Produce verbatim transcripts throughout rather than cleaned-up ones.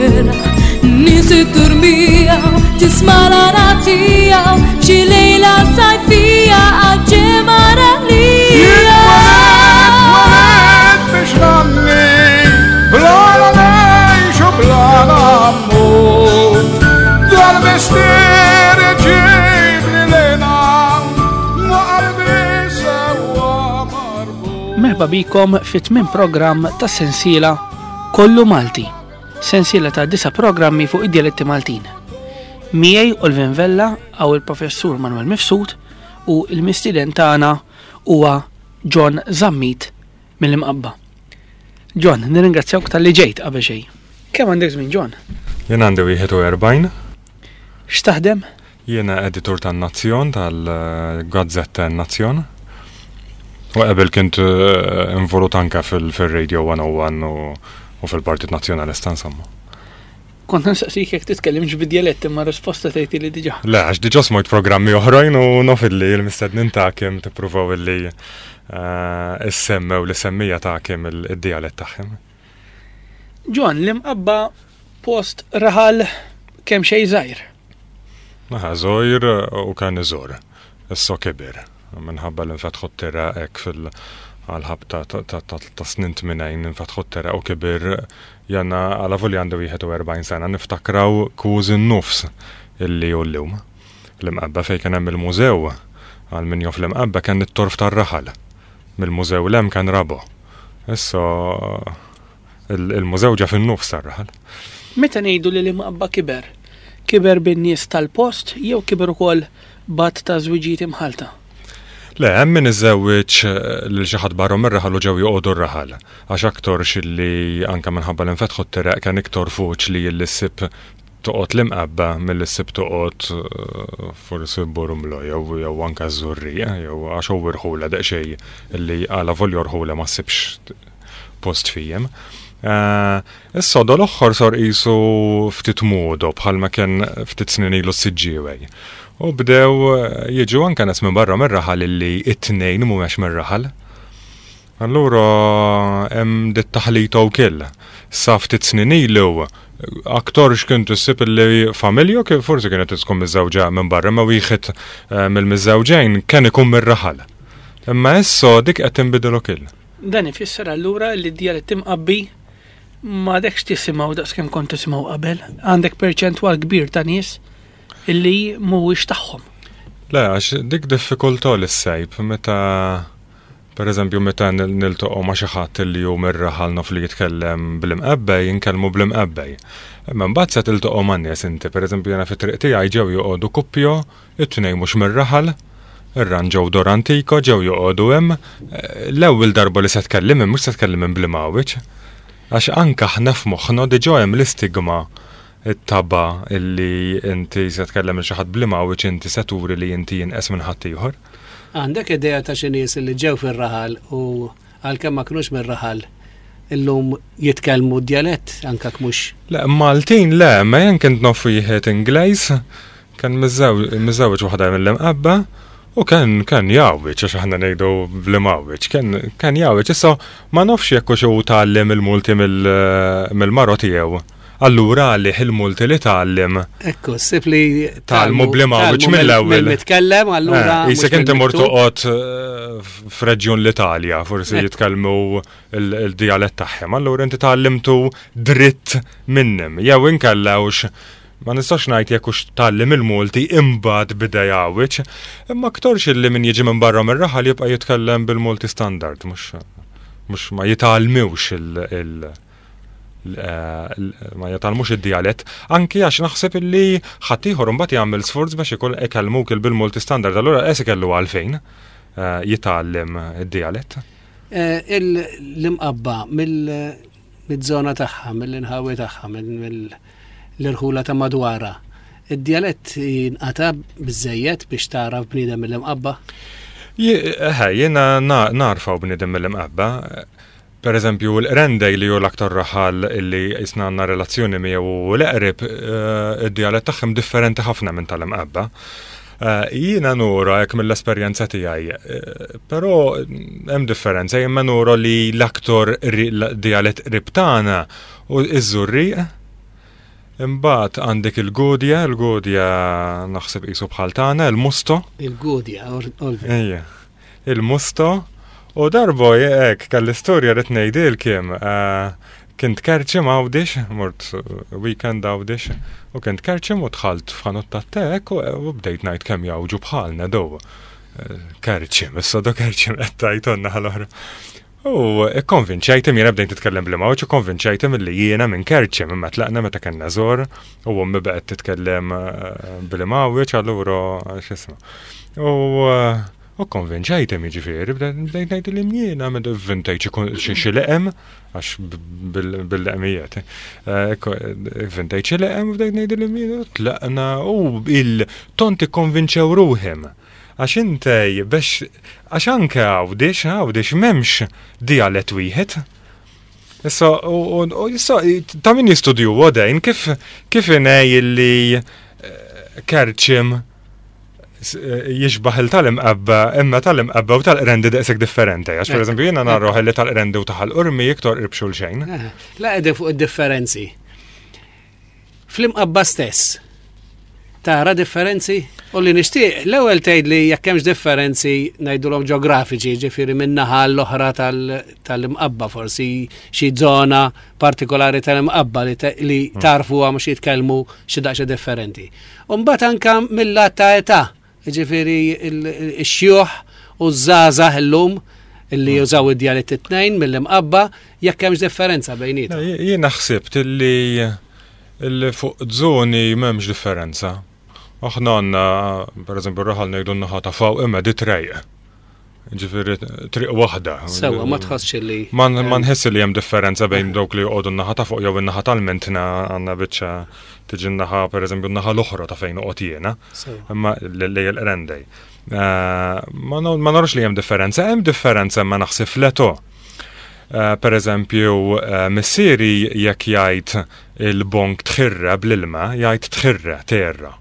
Gwerra, nies it-turmija, tisma' l-għana tiegħu f'xi lejla sajfija għal-ġemara lija. Tweled biex nanni, bla la ngħix u bla mmut. Dal-mistier ġibli lena, ma qalbi sewwa marbut. Merħba bikom fit tmien programm ta' sensiela Kollu Malti, sensiela ta' disa programmi fuq id-dialetti Maltin. Miegħi Olvin Vella għaw il-professur Manuel Mifsud u il-mistiden tagħna huwa John Zammit mill-Imqabba. John, nirringrazzjawk talli ġejt qabel xejn. Kemm għandek żmien, John? Jien għandi wieħed u erbgħin. X'taħdem? Jiena editur tan-Nazzjon, tal-Gazzetta Nazzjon. U qabel kint eh, involut anka fil-Radio one oh one u u fil-Partit Nazzjonalista, insomma. Kont nistaqsik jekk titkellimx bid-dialett, imma risposta tgħid li diġà. Le, għax diġà smajt programmi oħrajn u naf illi l-mistednin tagħkom tippruvaw illi eh, issemmew li semmija tagħkom il-dialett tagħhom. John, l-Imqabba post raħal kemm xejn żgħir. Naħa żgħir u kien iżgħar. Issa kibir. Minħabba li nfetħu t-toroq hekk fil- għal-ħabta ta' ta' ta' ta' snin tmenin, nfetħu t-toroq u kibir. Jiena għalavolja għandi wieħed u erbgħin sena niftakraw kważi n-nofs illi hu llum. L-Imqabba fej kien hemm il-mużew, għal min jaf l-Imqabba, kien it-torf tar-raħal. Mill-mużew 'l hemm kien raba'. Issa il- il-mużew ġa fin-nofs tar-raħal. Meta ngħidu li l-Imqabba kiber, kiber bin-nies tal-post jew kiber ukoll b'għadd ta' żwiġijiet imħalta? Le, hemm min iżewweġ eh, lil xi ħadd barra mir-raħal u ġew joqogħdu r-raħal. Għax aktarx illi anke minħabba li nfetħu t-toroq kien iktar faċli li ssib toqgħod l-Imqabba milli ssib toqgħod eh, forsi Bormla jew jew anke Żurrieq, jew għax hu rħula daqsxejn illi għalavolja rħula ma ssibx post fijem. Eh, Issa dal-aħħar sar qisu ftit moda bħalma kien ftit snin ilu s-Siġġiewi. U bdew eh, jiġu anke nies minn barra mir-raħal illi it-tnejn mhumiex mir-raħal. Allura hemm dit taħlita wkoll. Sa ftit snin ilu aktarx kien issib illi familja kif forsi kienet tkun miżżewġa minn barra, ma wieħed eh, mill-miżżewġejn kien ikun mir-raħal. Imma issa dik qed tinbidel ukoll. Dan ifisser allura li d-dialett Imqabbi m'għadekx tisimgħu daqs kemm kont tisimgħu qabel. Għandek perċentwal kbir ta' nies illi mhuwiex tagħhom. Le, għax dik diffikultà li ssib meta, per eżempju, meta nil- niltaqgħu ma' xi ħadd li hu mir-raħal, naf li jitkellem bl-Imqabbi, jinkellmu bl-Imqabbi. Imma mbagħad se tiltaqgħu ma' nies inti, per eżempju, jiena fit-triq tiegħi ġew joqogħdu kuppja, it-tnejn mhux mir-raħal, irranġaw dar antika, ġew joqogħdu hemm. Eh, L-ewwel darba li se tkellimhom mhux se tkellimhom bl-Imgħawweġ. Għax anke aħna f'moħħna diġà hemm l-istigma, it-taba illi inti se tkellem il xi ħadd bl-Imgħawweġ, inti se turi li inti inqas minn ħadd ieħor. Għandek idea ta' xi nies li ġew fir-raħal u għalkemm ma kinux mir-raħal illum jitkellmu d-djalett anke mhux? Le, Maltin le, ma jien kont naf wieħed Ingliż, kien miżżewweġ waħda mill-Imqabba u kien kien jgħawweġ, għax aħna ngħidu bl-Imgħawweġ, kien kien jgħawweġ. Issa ma nafx jekk hux hu tgħallem il-Multi mill-mara tiegħu. Allura għalih il-Multi li tgħallem Ekku, ssib li tgħallmu bl-Imgħawweġ mill-ewwel. Mill-mitkellem, allura. Eh, Jisek mhux inti mur mill-miktub. toqgħod eh, f'reġjun l-Italja, forsi Eh. jitkellmu il-dialett tagħhom, allura inti tgħallimtu dritt minnhom. Jew inkellewx ma nistax ngħid jekk hux tgħallem il-Multi imbagħad bida jgħawweġ, imma aktarx illi min jiġi minn barra mir-raħal jibqa' jitkellem bil-Multi standard, mhux mhux ma jitgħallmux il- il- l- ma jitgħallmux id-dialett, anki għax naħseb illi ħaddieħor imbagħad jagħmel sforz biex ikun ikellmuk bil-Multi standard, allura qes ikellu għalfejn eh, jitgħallem id-dialett. Eh, il- L-Imqabba mill-żona tagħha, mill-inħawi tagħha, mill-irħula ta' madwara. Id-djalett jinqata biżejjed biex tara bniedem mill-Imqabba? Eħe, jiena na- narfaw bniedem mill-Imqabba. Per eżempju, l-Qrendej li hu l-aktar raħal illi jisna għandna relazzjoni miegħu u l-eqreb, eh, id-dialett tagħhom differenti ħafna minn tal-Imqabba. Eh, Jiena nura hekk mill-esperjenza tiegħi, eh, però hemm differenza, jien nura li l-aktar ri- l- dialett qrib tagħna u iż-Żurrieq. Imbagħad għandek il-Gudja, il-Gudja naħseb qisu bħal tagħna, il-Musto. Il-Gudja, Olvin. Ejja. Il-Musto. U darbo hekk kelli storja rrid ngħidilkiem. Kint Kerċem Għawdex, mort weekend Għawdex, u kint Kerċem u dħalt f'ħanut tat-te u bdejt ngħid kemm jgħawġu bħalna do. Kerċem, issa do Kerċem qed tgħid ħal-oħra. U konvinċejtem, jiena bdejt titkellem bl-Imgħawġ, u konvinċejtem li jiena minn Kerċem, imma tlaqna meta kellna żor, u ommi baqgħet titkellem bl-Imgħawġ, allura x'ismu. U u konvinċejtem jiġifieri, bdejt ngħid li jiena minn vvintajt xi leqem, għax bil-leqmijiet. Vvintajt xi leqem, bdejt ngħid li jiena tlaqna u il-tont ikkonvinċew ruħhom. Għax intej biex, għax anke Għawdex, Għawdex m'hemmx dialett wieħed. Issa, u issa, ta' min jistudju għodejn, kif kif inej li Kerċem jixbaħ il tal-Imqabba, imma tal-Imqabba u tal-Qrendi daqshekk differenti. Għax per eżempju jiena narroħ li tal-Qrendi u ta' Ħal Qormi iktar qrib xulxejn. La qegħdin fuq id-differenzi. Fl-Imqabba stess, tara differenzi? U li nixtieq, l-ewwel tgħid li jekk hemmx differenzi ngħidulhom ġeografiċi, ġifieri min-naħa l-oħra tal-Imqabba, forsi xi żona partikolari tal-Imqabba li tarfuha mhux jitkellmu xi daqsxejn differenti. U mbagħad anke mill-lat ta' età, ġifieri x-xjuħ u ż-żgħażagħ illum illi jużaw id-djalett it-tnejn mill-Imqabba, jekk hemmx differenza bejniethom. Jiena ħsibt illi fuq żoni m'hemmx differenza. Aħna għandna, per eżempju, raħal ngħidu n-naħa ta' fuq imma di trejq. Ġifieri triq waħda. Sewwa, ma tħossx li. Ma nħiss li hemm differenza bejn dawk li joqogħdu n-naħa ta' fuq jew in-naħa tal-Mentna, għandna biċċa tiġi n-naħa, per eżempju, n-naħa l-oħra ta' fejn noqgħod jiena. Imma li l-Qrendej. Ma narux li hemm differenza, hemm differenza ma naħseb fl-età. Per eżempju, missieri jekk jgħid il-bonk tħirra bl-ilma, jgħid tħirra, terra.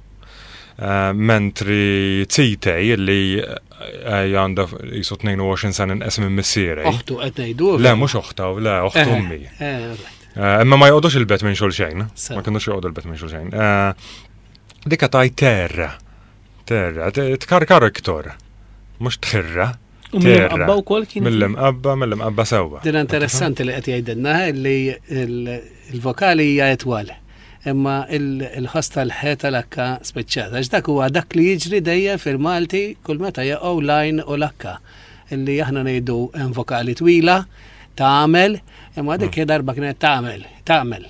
Mentri titej li għandha jisu tnejn u għoxrin sena inqas minn missieri. Oħtu qed ngħidu? Le, mhux oħta, le, oħtu ommi. Imma ma joqgħodux il-bet minn xulxejn. Ma kinux joqogħdu il-bet minn xulxejn. Dika taj terra. Terra, tkarkar iktor. Mhux tħirra. U mill-Imqabba wkoll kien. Mill-Imqabba, mill-Imqabba sewwa. Din interessanti li qed jgħidilna li il-vokali hija etwal. Imma il-ħoss tal-ħe tal-akka speċjata. Għax dak huwa dak li jiġri dejjem fil-Malti kull meta jaqgħu lajn u l-akka. Illi aħna ngħidu hemm vokali twila, tagħmel, imma dik darba kienet tagħmel, tagħmel.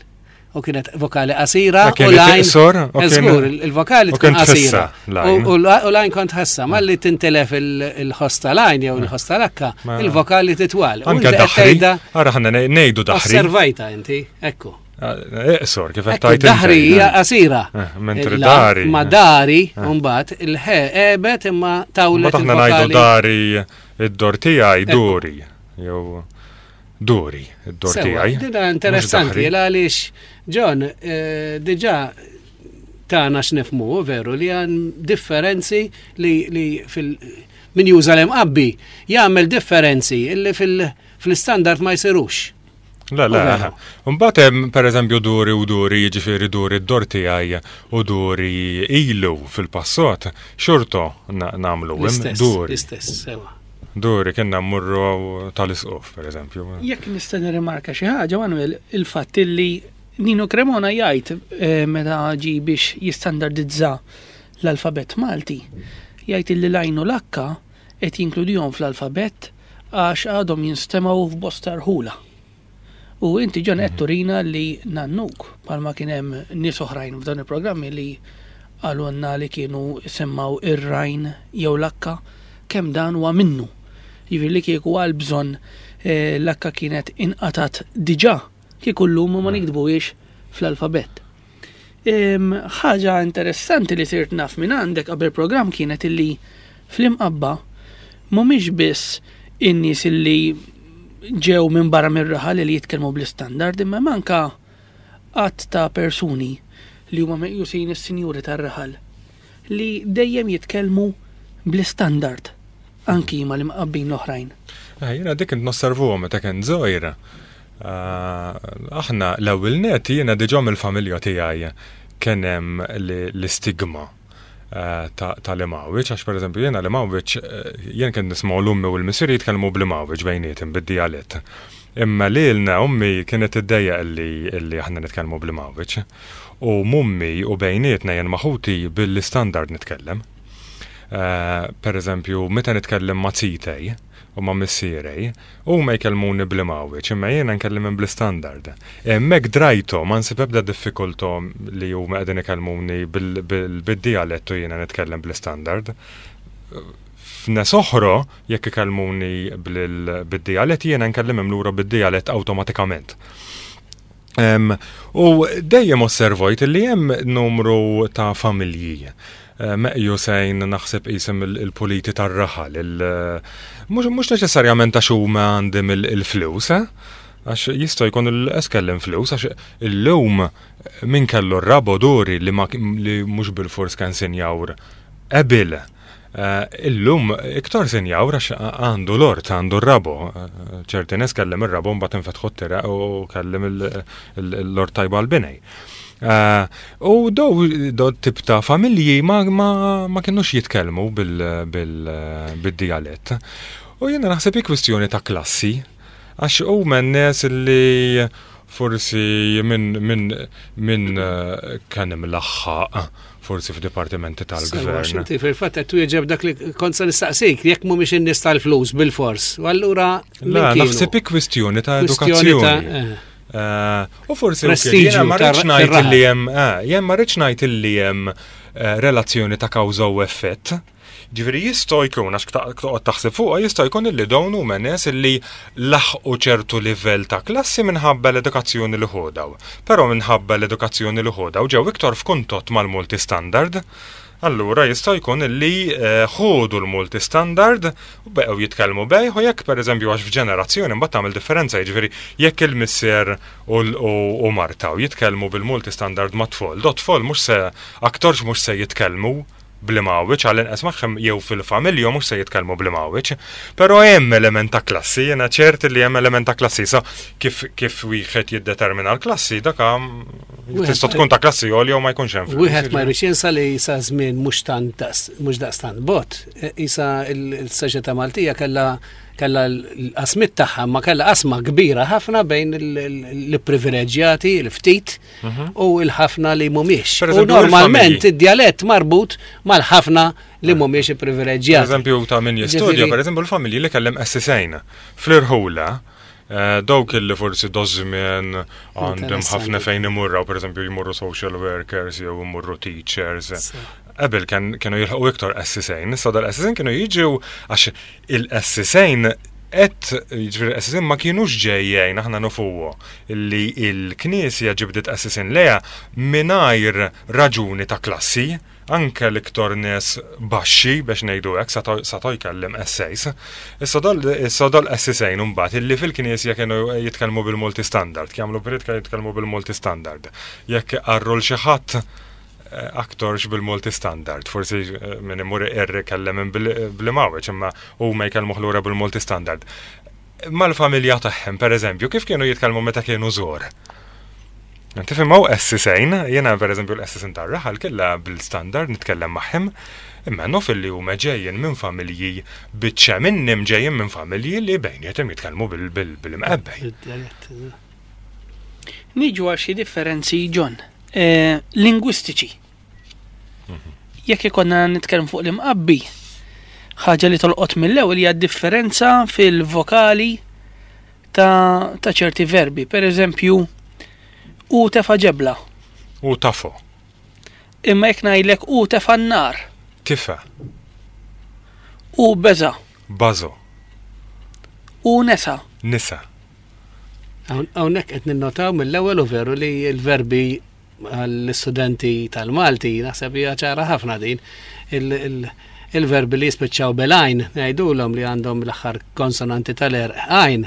U kienet vokali qasira u lajn. Żgur, il-vokali tkun qasira. U lajn kont ħassa, malli tintelef il-ħoss tal-għajn jew il-ħoss tal-akka, il-vokali titwal. Anke daħri, ara ħanna ngħidu daħri. Osservajta inti, ekku. Iqsor, kif qed tgħid. Daħri hija qasira. Mentri dari. Ma dari, mbagħad il-ħe ebet imma tawlet. Aħna ngħidu dari id-dor tiegħi duri. Jew duri, id-dor tiegħi. Dina interessanti għaliex John, diġà tagħna x'nifhmu veru li għan differenzi li fil min juża l-Imqabbi jagħmel differenzi illi fil-standard ma jsirux. La, la, mbagħad hemm pereżempju duri u duri, jiġifieri duri d-dor tiegħi u duri ilu fil-passat, xorto nagħmlu duri. L-istess, sewa. Duri kienna mmurru tal-isqof, pereżempju. Jekk nista' nirrimarka xi ħaġa, Manuel, il-fatt li Nino Cremona jgħid meta ġi biex jistandardizza l-alfabett Malti, jgħid li l-għajn u l-akka qed jinkludihom fl-alfabett għax għadhom jinstemgħu f'bosta rħula. U inti John qed turina li nannuk, bħalma kien hemm nies oħrajn f'dan il-programmi li qalulna li kienu semmaw ir-rajn jew l-akka, kemm dan huwa minnu. Jiġifieri li kieku għal bżonn l-akka kienet inqatat diġà, kieku llum ma nikdbuhiex fl-alfabett. Ħaġa interessanti li sirt naf minn għandek qabel programm kienet illi fl-Imqabba mhumiex biss in-nies illi ġew minn barra mir-raħal li jitkellmu bl-istandard, imma manka għadd ta' persuni li huma meqjusin is-sinjuri tar-raħal li dejjem jitkellmu bl-istandard anki ma l-Imqabbin l-oħrajn. Jiena dik kont nosservuhom meta kien żgħir. Aħna l-ewwel net jiena diġà mill-familja tiegħi kien hemm l-istigma tal-Imgħawwiġ, għax pereżempju jiena l-Imgħawwiġ jien kien nisma' l-ummi u l-missieri jitkellmu bl-Imgħawwiġ bejniethom bid-dialett. Imma lilna ummi kienet iddejjaq illi illi aħna nitkellmu bl-Imgħawwiġ. U mummi u bejnietna jien ma' ħuti bil-istandard nitkellem. Per eżempju, meta nitkellem ma' zitej u ma' missierej, huma jkellmuni bl-Imgħawwiġ, imma jiena nkellimhom bl-istandard. Hemmhekk drajtu ma nsib ebda diffikultà li huma qegħdin ikellmuni bil-dialett u jiena nitkellem bl-istandard. F'nies oħra, jekk ikellmuni bid-dialett, jiena nkellimhom lura bid-dialett awtomatikament. U dejjem osservajt li hemm numru ta' familji meqjusejn naħseb isim il-puliti tar-raħal, mhux neċessarjament għax huma għandhom il-flus, għax jista' jkun il-eskellem flus, għax illum min kellu r-rabo duri li mhux bil-fors kien sinjawr ebil. Illum iktar sinjawr għax għandu l-ort, għandu r-rabo. Ċerti nies kellem ir-rabo mbagħad infetħu t-tira u kellem l-ort tajba l-binej. U do tip ta' familji ma, ma, ma kienux jitkellmu bil-dialett. U jiena naħseb hi kwistjoni ta' klassi, għax huma n-nies li forsi minn min, min kien imlaħħaq forsi f'dipartimenti tal-gvern. Inti fil-fatt qed twieġeb dak li kont se nistaqsik, jekk mhumiex in-nies tal-flus bil-fors. U allura La, naħseb hi kwistjoni ta' edukazzjoni. U forsi jiena ma rridx ngħid li hemm jien ma rridx ngħid li hemm relazzjoni ta' kawża u effett. Ġifieri jista' jkun għax toqgħod taħseb fuqha jista' jkun illi dawn huma nies illi laħqu ċertu livell ta' klassi minħabba l-edukazzjoni li ħodaw. Però minħabba l-edukazzjoni li ħodaw ġew iktar f'kuntatt mal-multistandard. Allura jista' jkun illi ħodu l-multistandard u beqgħu jitkellmu bejh, u jekk pereżempju għax f'ġenerazzjoni mbagħad tagħmel differenza, jiġifieri jekk il-missier u marta u jitkellmu bil-multistandard ma' tfal, do tfal mhux se aktarx mhux se jitkellmu bl-Imgħawwiġ, għall-inqas magħhom jew fil-familja mhux se jitkellmu bl-Imgħawwiġ. Però hemm element ta' klassi, jiena ċert li hemm element ta' klassi. Sa kif kif wieħed jiddetermina l-klassi, dak tista' tkun ta' klassi għolja u ma jkunx hemm. Wieħed ma jridx jinsa li sa żmien mhux tant mhux daqstant bot. Isa l-soċjetà Maltija kellha kellha l-qasmit tagħha, ma kellha qasma kbira ħafna bejn l-privileġġjati, l-ftit, u l-ħafna li mhumiex. U normalment id-djalett marbut mal-ħafna li mhumiex privileġġjati. Pereżempju ta' min jistudja, pereżempju l-familji li kellem essisejn fl-irħula, dawk li forsi dożmien għandhom ħafna fejn imurraw, pereżempju jmurru social workers jew imurru teachers. Qabel kienu jilħqu iktar essisejn, issa dal-essisejn kienu jiġu għax il-essisejn qed jiġifieri essisejn ma kienux ġejjejn, aħna nufuhu illi l-Knisja ġibdet essisejn leha mingħajr raġuni ta' klassi, anke l-iktar nies baxxi biex ngħidu hekk seta' jkellem essays. Issa dal essisejn imbagħad illi fil-Knisja kienu jitkellmu bil-multistandard, jagħmlu priedka jitkellmu bil-multistandard. Jekk qarru l xi ħadd aktarx bil-multistandard, forsi min imur irri kellem bl-Imgħawwiġ, imma huma jkellmu ħlura bil-multistandard. Mal-familja tagħhom, pereżempju, kif kienu jitkellmu meta kienu żgħar? Tifhem hawn essisejn, jiena pereżempju l-essisejn tar-raħal kellha bil-standard nitkellem magħhom, imma naf li huma ġejjin minn familji biċċa minnhom ġejjin minn familji li bejniethom jitkellmu bil-imqebbej. Niġu għal xi differenzi, John, lingwistiċi. Jekk ikonna nitkellmu fuq l-Imqabbi, ħaġa li tolqot mill-ewwel hija differenza fil-vokali ta', ta ċerti verbi. Per eżempju, u tefa ġebla. U tafo. Imma jekk ngħidlek u tefa n-nar. Tifa. U beża. Bażo. U nesa. Nisa. Hawnhekk qed ninnotaw mill-ewwel u veru li l-verbi għall-istudenti tal-Malti, naħseb hija ċara ħafna din, il-verbi li jispiċċaw bil-għajn, ngħidulhom li għandhom l-aħħar konsonanti tal-erq għajn,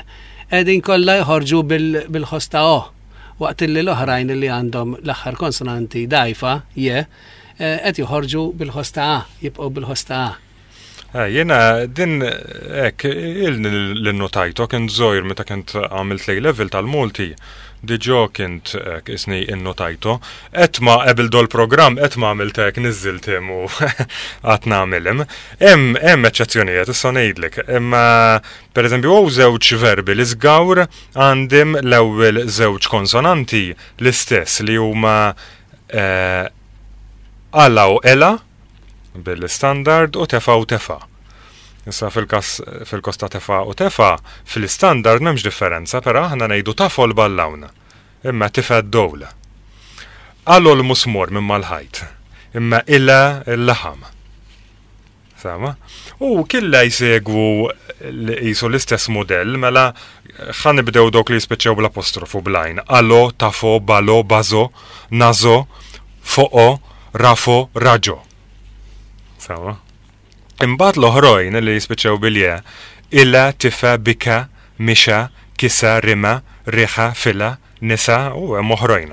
qegħdin kollha jħorġu bil-ħoss ta' o, waqt li l-oħrajn li għandhom l-aħħar konsonanti dajfa, je, qed joħorġu bil-ħoss ta' a, jibqgħu bil-ħoss ta' a. Eh, Jena din ek il-notajto kien żgħir meta kent għamilt A level tal-Malti. Diġà kint ek isni innotajto. Et ma qabel dol program, et ma għamilt hekk niżżiltim u għat nagħmilhom. Hemm hemm eċċezzjonijiet, issa ngħidlek. Imma pereżempju hawn żewġ verbi li żgawr għandim l-ewwel żewġ konsonanti l-istess li huma eh, ala u ela bil-standard u tefa u tefa. Issa fil-kas fil-kos ta' tefa u tefa, fil-standard m'hemmx differenza, però aħna ngħidu tafol ballawna. Imma tifa d-dowla. Għallu l-musmur minn mal-ħajt. Imma ila l-laħam. Sama? U killa jsegwu l- jisu l-istess modell, mela ħa nibdew dok li jispiċċew bl-apostrofu blajn. Alo, tafo, balo, bazo, nazo, foqo, rafo, raġo. Sama? Imbagħad l-oħrojn li jispiċċew bil-je, illa, tifa, bika, mixa, kisa, rima, riħa, fila, nisa, u hemm oħrojn.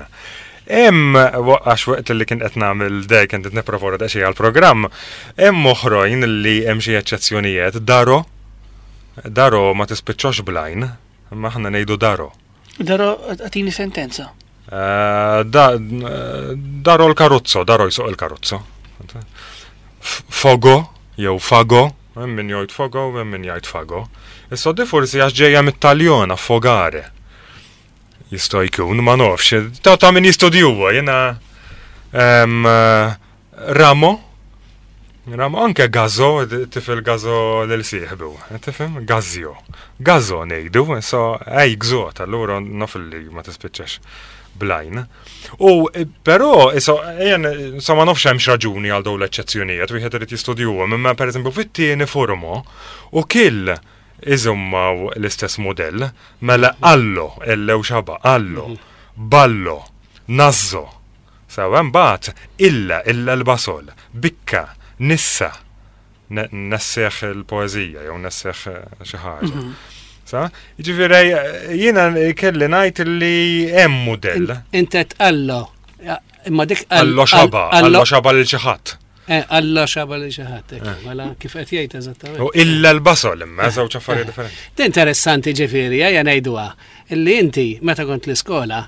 Hemm għax waqt li kien qed nagħmel dej kien qed nipprepara daqsxejn għall-programm, hemm oħrojn li hemm xi eċċezzjonijiet, daro, daro ma tispiċċax blajn, imma aħna ngħidu daro. Daro, għatini sentenza. Eh, da, daro l-karozzo, daro jsuq il-karozzo. F- Fogo, jew fago, hemm min jgħid fogo, hemm min jgħid fago. Issa di forsi għax ġejja mit-Taljon affogare. Jista' jkun, ma nafx. Ta' ta' min jistudjuwa, jiena em, eh, Ramo, Ramo anke Gazzo, tifel Gazzo lil sieħbu, tifhem? Gazzjo. Gazzo ngħidu, so ej gżot, allura naf li ma tispiċċax blajn. U eh, però, iso, jen, so ma nafx hemmx raġuni għal dawn l-eċċezzjonijiet, wieħed irid jistudjuhom, imma pereżempju fit-tieni formo u kill iżommaw l-istess modell, mela allo, ellew xaba, allo, ballo, nazzo. Sawa mbagħad illa illa l-basol, bikka, nissa, ne- nesseħ il-poeżija jew nesseħ eh, xi ħaġa. Sa? Jiġifieri jiena kelli ngħid li hemm mudell. Inti tqallo. Ja, Imma dik Allo xaba, allo xaba lil xi ħadd. Eh, Allo xaba li xi ħadd, hekk, mela kif qed jgħid eżattament. U illa l-basol imma żewġ affarijiet differenti. Di interessanti ġifieri, ejja ngħiduha, illi inti meta kont l-iskola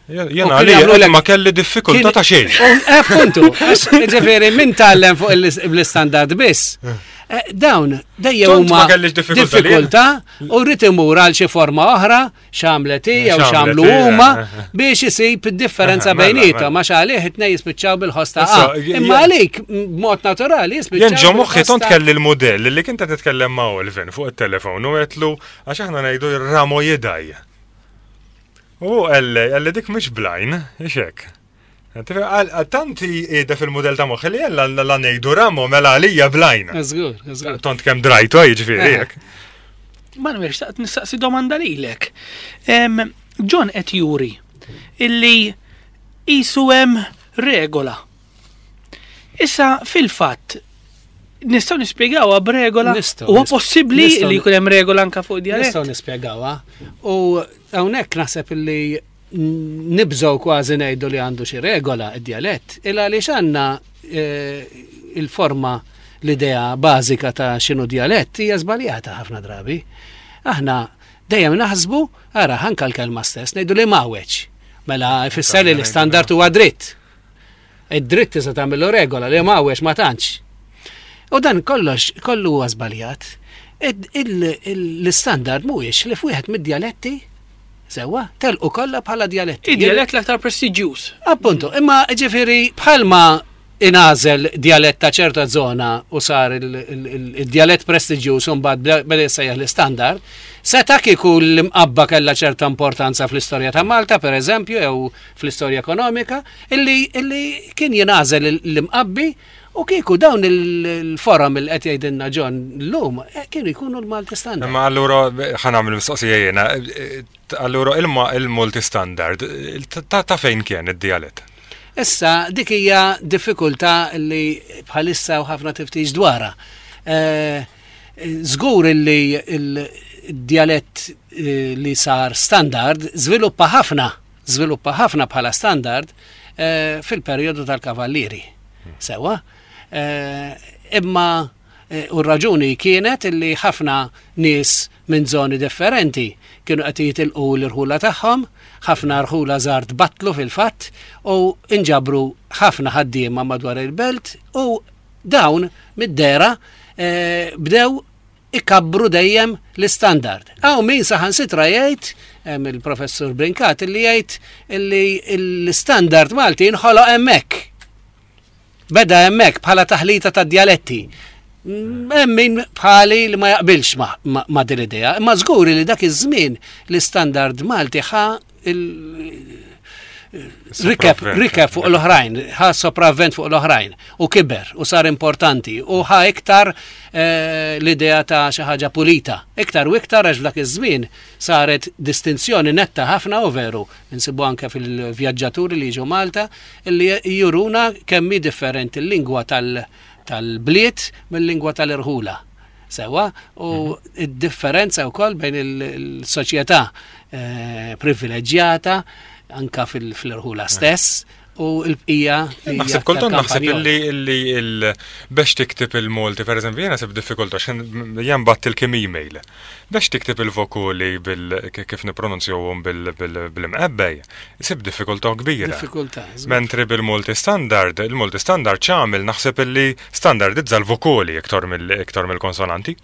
Jena U kien għalija jagħmlulek- ma kelli diffikultà ta' xejn. Eh, Appuntu, għax, ġifieri min tgħallem fuq l-istandard biss. Eh, Dawn, dejjem Tont huma ma kellix diffikultà li diffikultà u rrid imur għal xi forma oħra, x'għamlet hi jew X'għamlet x'għamlu hi, huma eh, eh. biex isib id-differenza Eh, mela, bejniethom mela. għax għalih it-tnejn jispiċċaw bil-ħoss ta' Issa, A. j- Imma j- għalik b'mod naturali jispiċċaw. Jien ġo moħħi bil-ħoss tont ta' kelli l-modell li kint qed titkellem ma' Olvin fuq it-telefon u għetlu għax aħna ngħidu ramo jidaj. U għalli, għalli dik mhux blajn, ixek. Tanti qiegħda fil-modell ta' moħħi li jella la ngħidu ramo mela għalija blajn. Żgur, żgur. Tont kemm drajtu jiġifieri Eh. hekk. Manuel, xtaqt nistaqsi domanda lilek. Em, John qed juri illi isu hemm regola. Issa fil-fatt nistgħu nispjegawha b'regola. Nistgħu, Huwa nistgħu. possibbli Nistgħu. li jkun hemm regola anka fuq djalett? Nistgħu nispjegawha. U hawnhekk naħseb illi nibżgħu kważi ngħidu li għandu xi regola id-djalett, illa għaliex għandna eh, il-forma l-idea bażika ta' x'inhu djalett hija żbaljata ħafna drabi. Aħna dejjem naħsbu, ara anka l-kelma stess, ngħidu li mawweġ. Mela ifisser li l-istandard huwa dritt. Id-dritt tista' tagħmillu regola li mawweġ ma tantx. U dan kollox kollu huwa żbaljat. Id- il- il- L-istandard mhuwiex li f'wieħed mid-djaletti sewwa telqu kollha bħala djaletti. Id-djalett l-aktar prestiġjuż. Appuntu, imma ġifieri bħalma inażel djalett ta' ċerta zona u sar il-djalett prestiġjuż u mbagħad beda jissejjaħ l-istandard, seta' kieku l-imqabba kellha ċerta importanza fl-istorja ta' Malta, per eżempju, jew fl-istorja ekonomika, illi, illi kien jingħażel l-imqabbi u kieku dawn il-forum il qed jgħidilna John llum eh, kienu jkunu l-Malti standard. Imma allura ħa nagħmel mistoqsija jiena, allura ilma il-Malti standard ta' ta' fejn kien id-djalett? Issa, dik hija diffikultà li bħalissa u ħafna tiftix dwarha. Eh, Żgur li il-djalett eh, li sar standard żviluppa ħafna, żviluppa ħafna bħala standard eh, fil-perjodu tal-Kavallieri. Sewa. Eh, Imma Eh, U r-raġuni kienet illi ħafna nies minn zoni differenti kienu qed jitilqu l-irħula tagħhom, ħafna rħula żgħar tbattlu fil-fatt u inġabru ħafna ħaddiema madwar il-belt u dawn mid-dera eh, bdew ikabbru dejjem l-istandard. Hawn min saħansitra jgħid, hemm il-professur Brincat, illi jgħid illi l-istandard Malti inħoloq hemmhekk. Beda hemmhekk bħala taħlita ta' djaletti. Mm, Hemm min bħali li ma jaqbilx ma, ma, ma din l-idea, imma żgur li dak iż-żmien l-istandard Malti ħa il- rikeb, Sopravvent. rikeb fuq l-oħrajn, ħa sopravvent fuq l-oħrajn u kiber u sar importanti u ħa iktar eh, l-idea ta' xi ħaġa pulita. Iktar u iktar għax f'dak iż-żmien saret distinzjoni netta ħafna u veru, insibu anke fil-vjaġġaturi li jiġu Malta, li juruna kemm hi differenti l-lingwa tal- tal-bliet mill-lingwa tal-irħula. Sewa, u id-differenza wkoll bejn il-soċjetà eh, privileġġjata anka fil- fil-irħula stess u l-bqija li hija Naħseb kultant aktar naħseb kampanjola. illi illi il biex tiktib il-Malti, per eżempju, jiena sib diffikultà x'in jien bgħatt il-kim email. Biex tiktib il-vokali bil kif nipronunzjawhom bil-Imqabba, sib diffikultà kbira. Diffikultà. żgur. Mentri bil-Malti standard, il-Malti standard ċamil naħseb illi standardizza l-vokali iktar mill- iktar mill-konsonanti.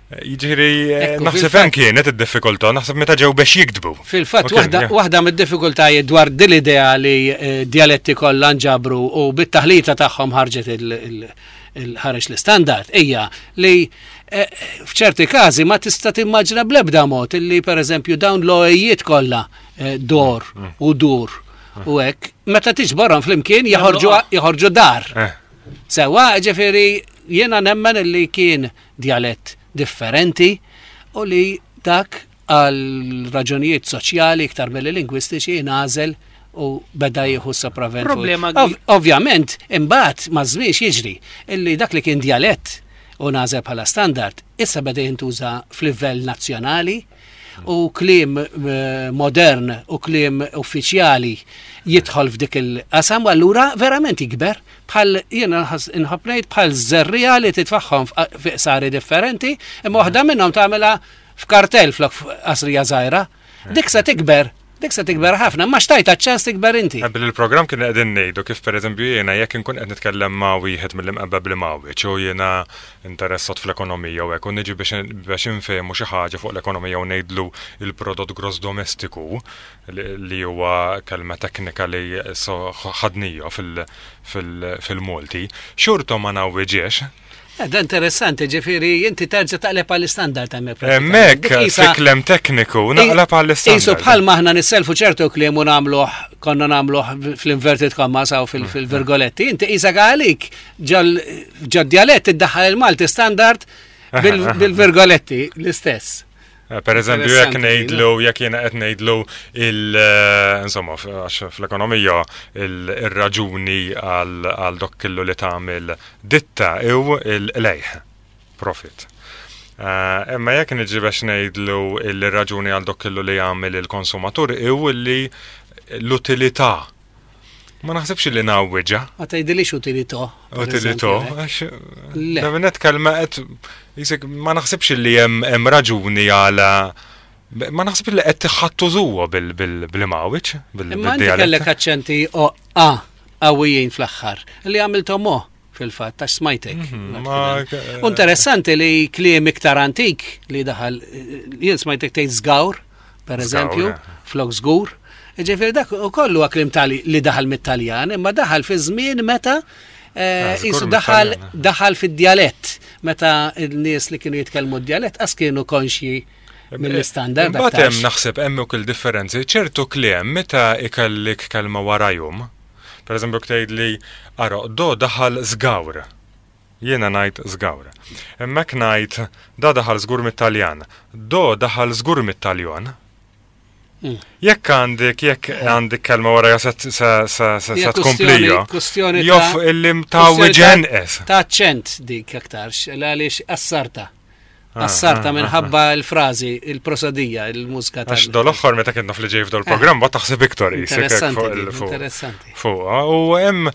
Jiġifieri eh, Ekku, naħseb fil-fatt- hemm kienet id-diffikultà, naħseb meta ġew biex jiktbu. Fil-fatt, Ok, waħda yeah. waħda mid-diffikultajiet dwar din l-idea li eh, dialetti kollha nġabru u bit-taħlita tagħhom ħarġet il- il- il-ħareġ l-istandard hija li eh, f'ċerti każi ma tista' timmaġina bl-ebda mod illi pereżempju dawn l-oejiet kollha eh, dor u dur u hekk meta tiġborhom flimkien joħorġu joħorġu dar. Eh. Sewa, ġifieri, jiena nemmen illi kien dialett differenti u li dak għal raġunijiet soċjali iktar milli lingwistiċi ingħażel u beda jieħu sopravvent. fuq- Problema Ov Ovvjament, imbagħad ma żmien jiġri illi dak li kien dialett u ngħażel bħala standard, issa beda jintuża f'livell nazzjonali u kliem eh, modern u kliem uffiċjali jidħol f'dik il-qasam u allura verament jikber bħal jiena nħas- inħobb ngħid bħal żerriegħa li titfaħħom fi qsari differenti imma waħda minnhom tagħmilha f'kartell flok f'qasrija żgħira. Dik se tikber, dik se tikber ħafna, ma xtajta ċans tikber inti. Qabel il-programm kien qegħdin ngħidu kif pereżempju jiena jekk inkun qed nitkellem ma' wieħed mill-Imqabba bl-Imgħawweġ u jiena interessat fl-ekonomija u hekk u niġi biex biex infehmu xi ħaġa fuq l-ekonomija u ngħidlu il-prodott gross domestiku li li huwa kelma teknika li so ħadnija fil- fil- fil-Malti, xorta ma ngħawwiġiex. Eh, Da interessanti, ġifieri, inti terġa' taqleb għall-istandard hemmhekk. Hemmhekk Dik qisha- fi kliem tekniku naqleb Isu għall-istandard. bħal maħna nisselfu ċertu kliem u nagħmluh, konna nagħmluh fl-inverted commas aw fil- fil-virgoletti, inti qisek għalik ġol dialett iddaħħal il-Malti standard bil- bil-virgoletti l-istess. Eh, Per eżempju, jekk Interessanti, ngħidlu, jekk jiena qed ngħidlu il eh, insomma, f- għax fl-ekonomija il- ir-raġuni għal għal dok kellu li tagħmel ditta ew il-lejh, profit. Eh, Imma jekk niġi biex ngħidlu il-raġuni għal dok kellu li jagħmel il-konsumatur ew li l-utilità. Ma naħsibx li ngħawwiġha. Ma tgħidilix utilità. per Utilità, eżempju, għax Le. Da minnet kelma qed jisek ma naħsibx li hemm hemm raġuni għala ma naħsibx li qed tiħattużuha bil-Imgħawweġ Imma inti kellek bil-dialett. aċċenti o a qawwijin fl-aħħar li għamilthom o fil-fatt għax smajtek. Mhm, ma- U Interessanti li kliem iktar antik li daħal, jien smajtek tgħid żgawr, per eżempju, Żgawr, eh. flok żgur. Ġifieri dak ukoll huwa kliem tali li daħal mit-Taljan, imma daħal fi żmien meta eh, Ah, żgur qisu daħal mit-Taljan, eh. daħal fid-djalett, meta n-nies li kienu jitkellmu d-djalett qas kienu konxji mill-istandard. Imbagħad aktarx. hemm naħseb hemm ukoll differenzi ċertu kliem meta ikellik kelma warajhom. Per eżempju tgħid li ara do daħal żgawr. Jiena ngħid żgawr. Hemmhekk ngħid da daħal żgur mit-Taljan. Do daħal żgur mit-Taljon. Mm. Jekk għandek, jekk għandek kelma wara se se se se Hija tkomplija. kwestjoni Jof ta' illi ta' kwestjoni ġenqes. Ta' ċent dik aktarx, għaliex assarta. Ah, Assarta ah, minħabba l-frażi, il-prosodija, il-mużika Għax dol-oħħor meta kien naf li ġej f'dol programm ba taħseb iktar qisek hekk Interessanti, fuq dik, il- fuq. interessanti. Fuq, u hemm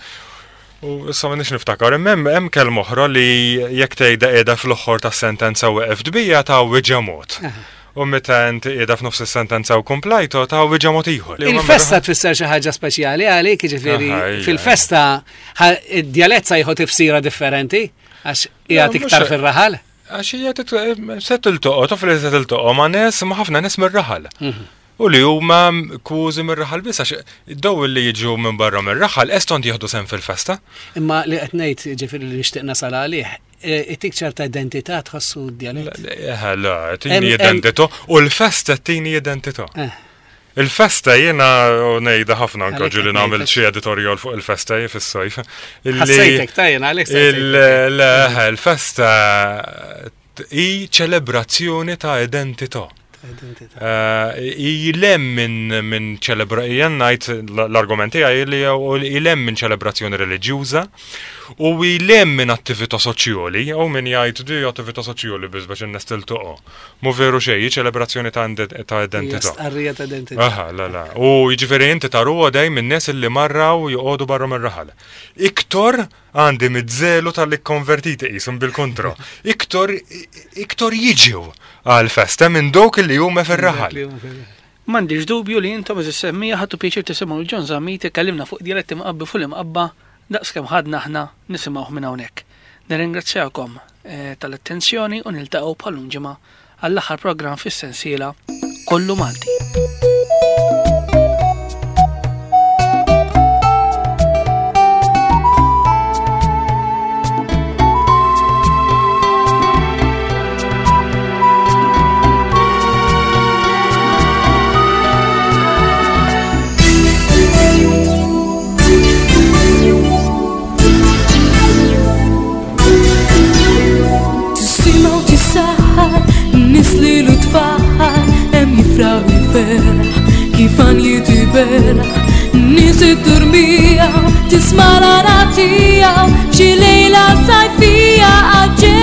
U issa ma nix niftakar, imma hemm hemm kelma oħra li jekk tgħidha qiegħda fl-oħħor tas-sentenza u weqft bija ta' mod. U meta inti qiegħda f'nofs is-sentenza u komplajto ta' mod ieħor. Il-festa tfisser xi ħaġa speċjali għalik, jiġifieri Aha, ija. fil-festa ħa- id-djalett sa jieħu tifsira differenti għax qiegħed Le, iktar mhux- fir-raħal. Għax hija tit- se tiltoqgħod, taf li se tiltoqgħod ma' nies, ma' ħafna nies mir-raħal. U li huma kważi mir-raħal biss għax daw li jiġu minn barra mir-raħal estont jieħdu sehem fil-festa. Imma li qed ngħid ġifieri li nixtieq nasal għalih, e, itik ċerta identità tħossu d-djalett. Eh, La, tini Em- em- identità u l-festa tini identità. Eh. Il-festa jiena u ngħidha ħafna anke Għalhekk ġieli qed nagħmel ngħidlek. xi editorial fuq il-festa fis-sajf. Illi- Ħassejtek ta' jiena għalhekk Il- saqsejtek. le, Il-festa hi ċelebrazzjoni ta' identità. Identità. Eh, Ilem minn min ċelebra, jien ngħid l-argumenti għaj li ilem minn ċelebrazzjoni reliġjuża u ilem minn attività soċjali, u min jgħid di attività soċjali biss biex in-nies tiltoqgħu. Mu veru xejn, hi ċelebrazzjoni ta' inde- ta' Hija identità. Stqarrija ta' identità. Aha, la, la. U jiġifieri inti taru dej minn nies illi marraw joqogħdu barra mir-raħal. Iktor għandi mid-żelu tal-li konvertiti qishom bil-kontra. Iktor iktor jiġu għal-festa minn dawk li huma fir-raħal. M'għandix dubju li intom eżis semmija ħadtu pjaċir tisimgħu lil John Zammit ikellimna fuq dialetti mqabbi fuq l-imqabba daqskemm ħadna aħna nisimgħuh minn hawnhekk. Nirringrazzjakom eh, tal-attenzjoni u niltaqgħu bħalum ġimgħa għall-aħħar programm fis-sensiela Kollu Malti. Tisimgħu tisaħħar, nies li l-tfaħħar, hemm jifraħ il-ferħ, kif għan jitiberaħ. Nies id-durmija, tisma' l-għana tiegħu, f'xi lejla sajfija għaġġel